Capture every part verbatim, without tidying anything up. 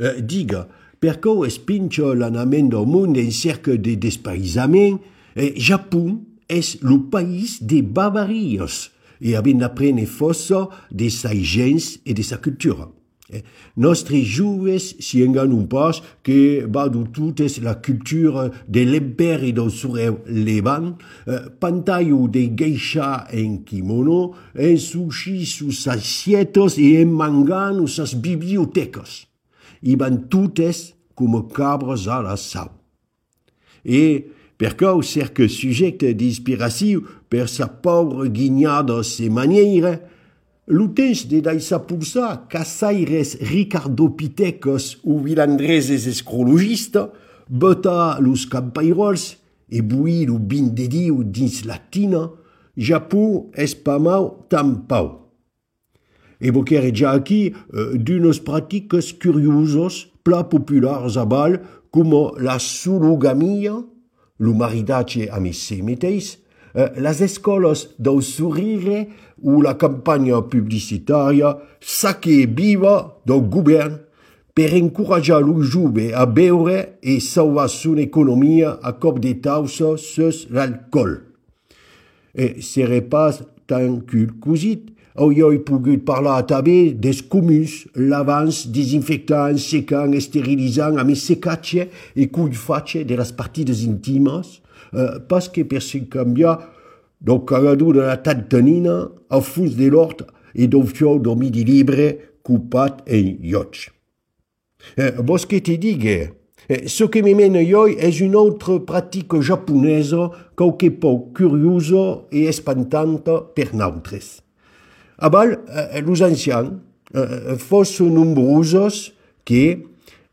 Eh, diga, perché spinge l'anament del món en cerca de despaïsament, eh, Japon és el país de barbaries e havent d'aprendre força de sa gens e de sa cultura. Eh, nostres joves s'hi enganen pas que va de totes la cultura de l'imperi del sureu levant, eh, pantallo de geisha en kimono, en sushi sus assietos e en mangan sus bibliotecas. I van totes com cabres a la sau. E perché cerca subjecte d'inspiració per sa pauvre guignada se maniera, l'utens de daisa pulsar caçaires Ricardo Pitecos ou vilandreses escrologista, bota los campairols e buir lo bin de diu dins latina, Japó es pa mau tampau. Evoquer ja aquí euh, d'unes pratiques curioses, pla populars a bal, com la sologamia, lo maridatge a se mateix, eh, les escoles del sorrire o la campanya publicitària Sake Viva del govern per encorajar lo jove a beure e salvar son economia a cop de tausa sus l'alcool. E serè pas tan culcosit, hauria pogut parlar també des comuns, lavants, desinfectants, secant, esterilizant, a més secatge e cuifatge de les partides intimes, eh, pas que per se canviar del cagador de la tantanina al fons de l'hort e del fiol del midi libre copat en llocs. Eh, vos que te digue, eh, ce que me mena jo és una altra pràctica japonesa qualque poc curiosa e espantanta per nosaltres. Abal, eh, los ancians eh, fossent nombrosos que,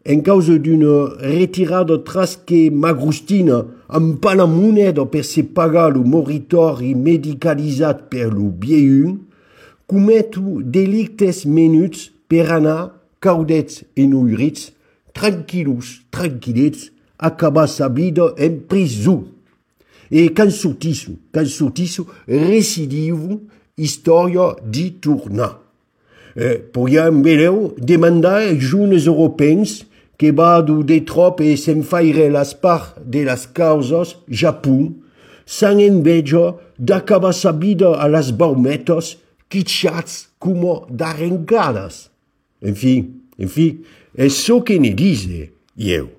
en causa d'una retirada trasque magrostina amb pa la moneda per se pagar lo moritori medicalitzat per lo vieun, cometo delictes menuts per anar, caudets e noirits, tranquil·los, tranquil·lets, acabar sa vida en prisó. E can sortisso, can sortisso, recidivo, història di tornar. Eh, podíem veure demandar als joves europeus que vadu de trop e s'enfaire les parts de les causes Japó, sans enveja d'acabar sa vida a les baumetes, quitxats com d'arrencades. En fi, en fi, és ce que ne dice, eu.